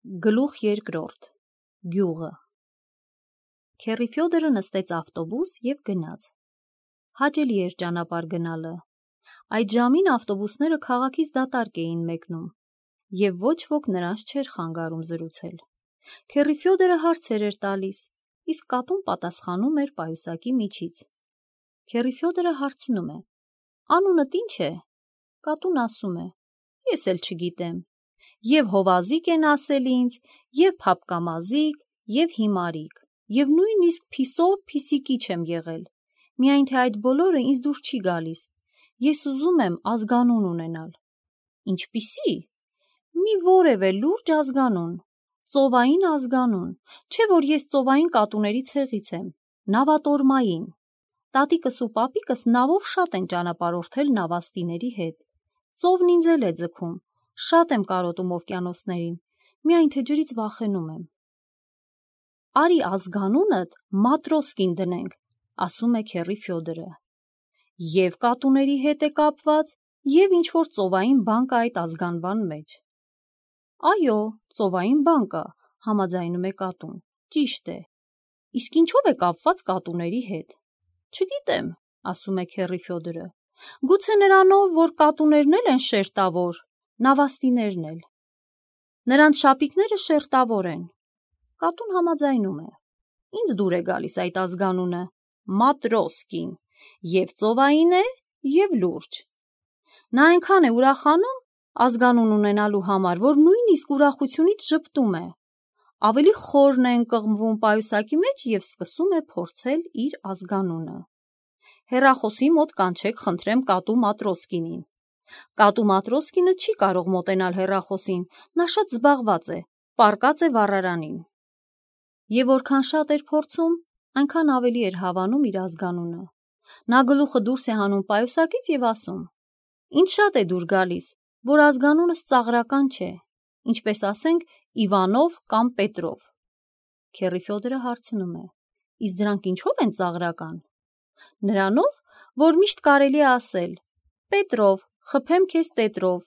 Գլուխ երկրորդ Գյուղը Քեռի Ֆյոդորը նստեց ավտոբուս և գնաց։ Հաճելի էր ճանապարհ գնալը։ Այդ ժամին ավտոբուսները քաղաքից դատարկ էին մեկնում, և ոչ ոք նրանց չէր խանգարում զրուցել։ Քեռի Ֆյոդորը հարցեր էր տալիս, իսկ կատուն պատասխանում էր պայուսակի միջից։ Քեռի Ֆյոդորը հարցնում է. «Անունդ ի՞նչ է»։ Կատուն ասում է. «Ես էլ չգիտեմ։ Եվ հովազիկ են ասել ինձ, և փափկամազիկ, և հիմարիկ, և նույնիսկ փիսով փիսիկի չեմ եղել, միայն թե այդ բոլորը ինձ դուր չի գալիս, ես ուզում եմ ազգանուն ունենալ»։ «Ինչպիսի»։ «Մի որևէ լուրջ ազգանուն, ծովային ազգանուն, չէ որ ես ծովային կատուների ցեղից եմ, նավատորմային։ Տատիկս ու պապիկս նավով շատ են ճանապարհորդել նավաստիների հետ, ծովն ինձ էլ է ձգում, շատ եմ կարոտում օվկիանոսներին, միայն թե ջրից վախենում եմ»։ «Արի ազգանունդ Մատրոսկին դնենք», ասում է Քեռի Ֆյոդորը։ Եվ կատուների հետ է կապված, և ինչ-որ ծովային բան կա այդ ազգանվան մեջ։ «Այո, ծովային բան կա», համաձայնում է կատուն, «ճիշտ է»։ «Իսկ ինչով է կապված կատուների հետ»։ «Չգիտեմ», ասում է Քեռի Ֆյոդորը, «գուցե նրանով, որ կատուներն էլ են շերտավոր, նավաստիներն էլ»։ «Նրանց շապիկները շերտավոր են»։ Կատուն համաձայնում է։ «Ինձ դուր է գալիս այդ ազգանունը, Մատրոսկին, և ծովային է, և լուրջ»։ Նա այնքան է ուրախանում ազգանուն ունենալու համար, որ նույնիսկ ուրախությունից ժպտում է։ Ավելի խորն է ընկղմվում պայուսակի մեջ և սկսում է փորձել իր ազգանունը։ «Հեռախոսի մոտ կանչեք, խնդրեմ, կատու Մատրոսկինին»։ Կատու Մատրոսկինը չի կարող մոտենալ հեռախոսին, նա շատ զբաղված է, պառկած է վառարանին։ Եվ որքան շատ էր փորձում, այնքան ավելի էր հավանում իր ազգանունը։ Նա գլուխը դուրս է հանում պայուսակից և ասում. «Ինձ շատ է դուր գալիս, որ ազգանունս ծաղրական չէ, ինչպես ասենք Իվանով կամ Պետրով»։ Քեռի Ֆյոդորը հարցնում է. «Իսկ դրանք ինչո՞վ են ծաղրական»։ «Նրանով, որ միշտ կարելի է ասել. Պետրով, խփեմ քեզ տետրով,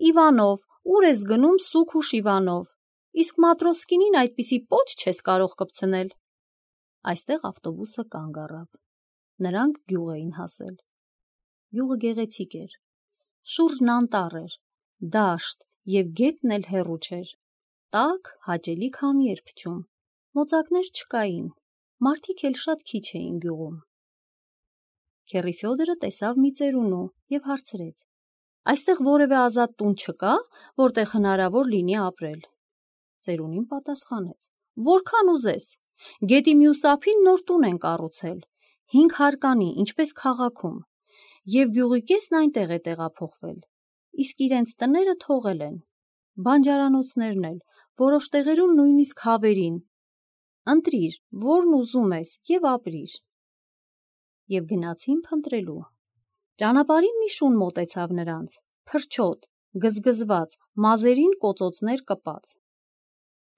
Իվանով, ուր ես գնում սուգ ու շիվանով, իսկ Մատրոսկինին այդպիսի պոչ չես կարող կպցնել»։ Այստեղ ավտոբուսը կանգ առավ։ Նրանք գյուղ էին հասել։ Գյուղը գեղեցիկ էր։ Շուրջն անտառ էր, դաշտ և գետն էլ հեռու չէր։ Տաք, հաճելի քամի էր փչում։ Մոծակներ չկային, մարդիկ էլ շատ քիչ էին գյուղում։ Քեռի Ֆյոդորը տեսավ մի ծերունու և հարցրեց. «Այստեղ որևէ ազատ տուն չկա, որտեղ հնարավոր լինի ապրել»։ Ծերունին պատասխանեց. «Որքան ուզես, գետի մյուս ափին նոր տուն են կառուցել, 5 հարկանի, ինչպես քաղաքում, և գյուղի կեսն այնտեղ է տեղափոխվել, իսկ իրենց տները թողել են, բանջարանոցներն էլ, որոշ տեղերում նույնիսկ հավերին։ Ընտրիր, որն ուզում ես, և ապրիր»։ Եվ գնացին փնտրելու։ Ճանապարհին մի շուն մոտեցավ նրանց, փրչոտ, գզգզված, մազերին կոծոցներ կպած։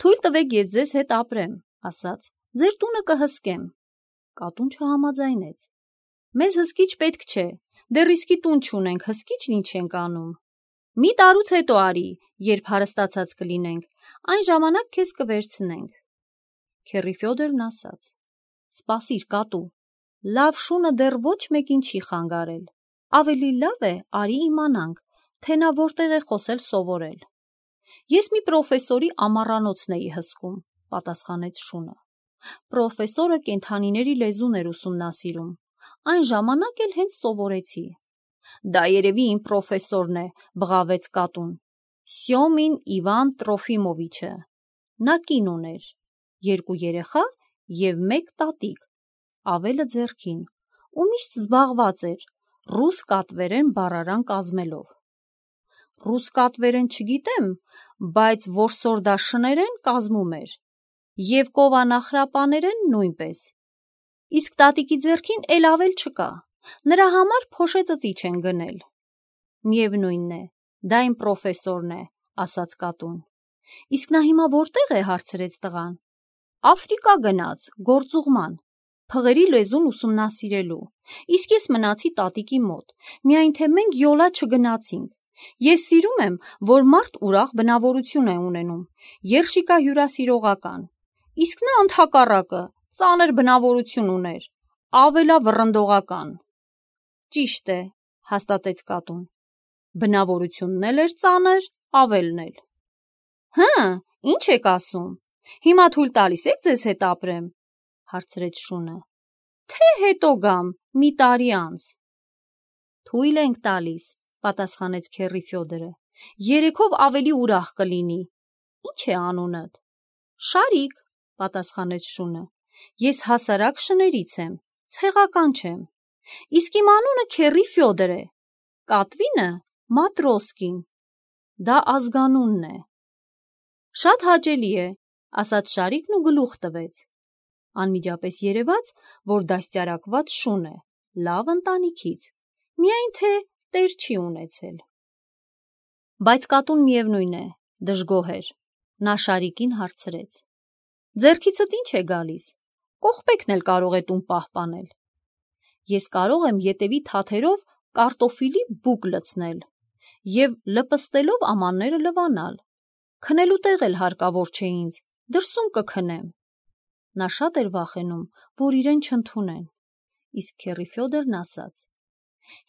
«Թույլ տվեք ես ձեզ հետ ապրեմ», ասաց, «ձեր տունը կհսկեմ»։ Կատուն չհամաձայնեց։ «Մեզ հսկիչ պետք չէ, դեռ իսկի տուն չունենք, հսկիչն ինչ ենք անում։ Մի տարուց հետո արի, երբ հարստացած կլինենք, այն ժամանակ քեզ կվերցնենք»։ Քեռի Ֆյոդորն ասաց. «Սպասիր, կատու, լավ շունը դեռ ոչ մեկին չի խանգարել, ավելի լավ է արի իմանանք, թե նա որտեղ է խոսել սովորել»։ «Ես մի պրոֆեսորի ամառանոցն էի հսկում», պատասխանեց շունը։ «Պրոֆեսորը կենդանիների լեզուն էր ուսումնասիրում, այն ժամանակ էլ հենց սովորեցի»։ «Դա երևի իմ պրոֆեսորն է», բղավեց կատուն, «Սյոմին Իվան Տրոֆիմովիչը։ Նա կին ուներ, 2 երեխա և 1 տատիկ, ավելը ձեռքին, ու միշտ զբաղված էր ռուս կատվերեն բառարան կազմելով»։ «Ռուս կատվերեն չգիտեմ, բայց որսորդաշներեն կազմում էր, և կովանախրապաներեն նույնպես։ Իսկ տատիկի ձեռքին էլ ավել չկա, նրա համար փոշե ծծիչ են գնել»։ «Միևնույն է, դա իմ պրոֆեսորն է», ասաց կատուն։ «Իսկ նա հիմա որտեղ է»։ հարցրեց տղան։ «Աֆրիկա գնաց, գործուղման, փղերի լեզուն ուսումնասիրելու, իսկ ես մնացի տատիկի մոտ, միայն թե մենք յոլա չգնացինք, Ես սիրում եմ, որ մարդ ուրախ բնավորություն է ունենում, երշիկա հյուրասիրողական, իսկ նա ընդհակառակը ծանր բնավորություն ուներ, ավելավռնդողական։ Ճիշտ է, հաստատեց կատուն, բնավորությունն էլ էր ծանր, ավելն էլ։ Հը, ինչ եք ասում, հիմա թույլ տալիս եք ձեզ հետ ապրեմ, հարցրեց շունը, թե հետո գամ, մի տարի անց։ Թույլ ենք տալիս, պատասխանեց քեռի Ֆյոդորը, երեքով ավելի ուրախ կլինի։ Ինչ է անունդ։ Շարիկ, պատասխանեց շունը, ես հասարակ շներից եմ, ցեղական չեմ, իսկ իմ անունը քեռի Ֆյոդոր է, կատվինը Մատրոսկին, դա ազգանունն է։ Շատ հաճելի է, ասաց Շարիկն ու գլուխ տվեց։ Անմիջապես երևաց, որ դաստիարակված շուն է, լավ ընտանիքից, միայն թե տեր չի ունեցել։ Բայց կատուն միևնույն է, դժգոհ էր, նա Շարիկին հարցրեց. ձեռքիցդ ինչ է գալիս, կողպեքն էլ կարող է տուն պահպանել։ Ես կարող եմ ետևի թաթերով կարտոֆիլի բուկ լցնել և լպստելով ամանները լվանալ, քնելու տեղ էլ հարկավոր չէ ինձ, դրսում կքնեմ։ Նա շատ էր վախենում, որ իրեն չընդունեն, իսկ քեռի Ֆյոդորն ասաց.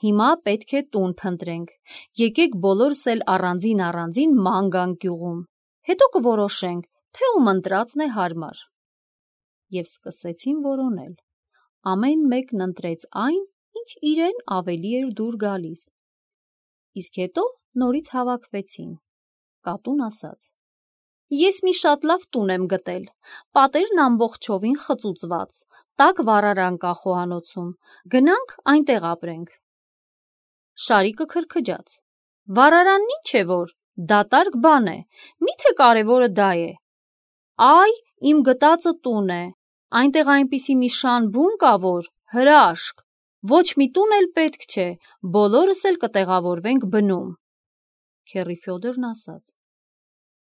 հիմա պետք է տուն փնտրենք, եկեք բոլորս էլ առանձին ման գանք գյուղում, հետո կորոշենք, թե ում ընտրածն է հարմար։ Եվ սկսեցին որոնել, ամեն մեկն ընտրեց այն, ինչ իրեն ավելի էր դուր գալիս։ Իսկ հետո նորից հավաքվեցին։ Կատուն ասաց. ես մի շատ լավ տուն եմ գտել, պատերն ամբողջովին խծուծված, տաք վառարան կա խոհանոցում, գնանք այնտեղ ապրենք։ Շարիկը քրքջաց. վառարանն ինչ է որ, դատարկ բան է, միթե կարևորը դա է։ Այ, իմ գտածը տուն է, այնտեղ այնպիսի մի շան բուն կա, որ հրաշք, ոչ մի տուն էլ պետք չէ, բոլորս էլ կտեղավորվենք բնում։ Քեռի Ֆյոդորն ասաց.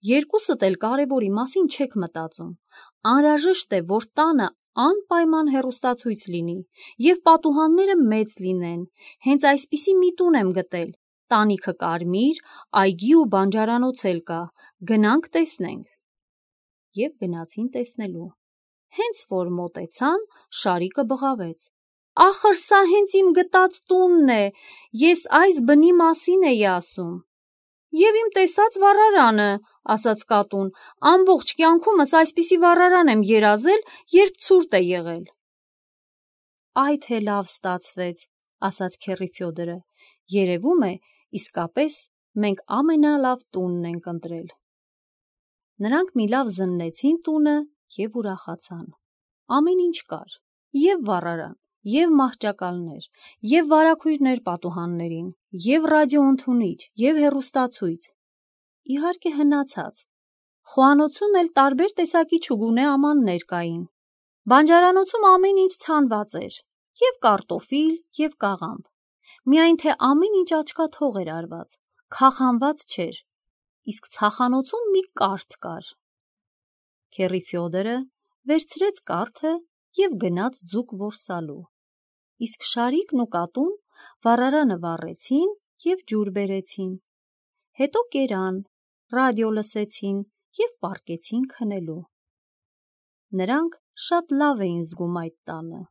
երկուսդ էլ կարևորի մասին չեք մտածում, անհրաժեշտ է, որ տանը անպայման հեռուստացույց լինի և պատուհանները մեծ լինեն, հենց այսպիսի մի տուն եմ գտել, տանիքը կարմիր, այգի ու բանջարանոց էլ կա, գնանք տեսնենք։ Եվ գնացին տեսնելու։ Հենց որ մոտեցան, Շարիկը բղավեց. ախր սա հենց իմ գտած տունն է, ես այս բնի մասին էի ասում։ Եվ իմ տեսած վառարանը, ասաց կատուն, ամբողջ կյանքումս այսպիսի վառարան եմ երազել, երբ ցուրտ է եղել։ Այ թե լավ ստացվեց, ասաց քեռի Ֆյոդորը, երևում է, իսկապես մենք ամենալավ տունն ենք ընտրել։ Նրանք մի լավ զննեցին տունը և ուրախացան։ Ամեն ինչ կար, և վառարան, և մահճակալներ, և վարագույրներ պատուհաններին, և ռադիոընդունիչ, և հեռուստացույց։ Իհարկե հնացած։ Խոհանոցում էլ տարբեր տեսակի չուգունե ամաններ կային։ Բանջարանոցում ամեն ինչ ցանված էր, և կարտոֆիլ, և կաղամբ, միայն թե ամեն ինչ աչքաթող էր արված, քախանված չէր, իսկ ցախանոցում մի կարթ կար։ Քեռի Ֆյոդորը վերցրեց կարթը և գնաց ձուկ որսալու, իսկ Շարիկն ու կատուն վառարանը վառեցին և ջուր բերեցին, հետո կերան, ռադիո լսեցին և պառկեցին քնելու։ Նրանք շատ լավ էին զգում այդ տանը։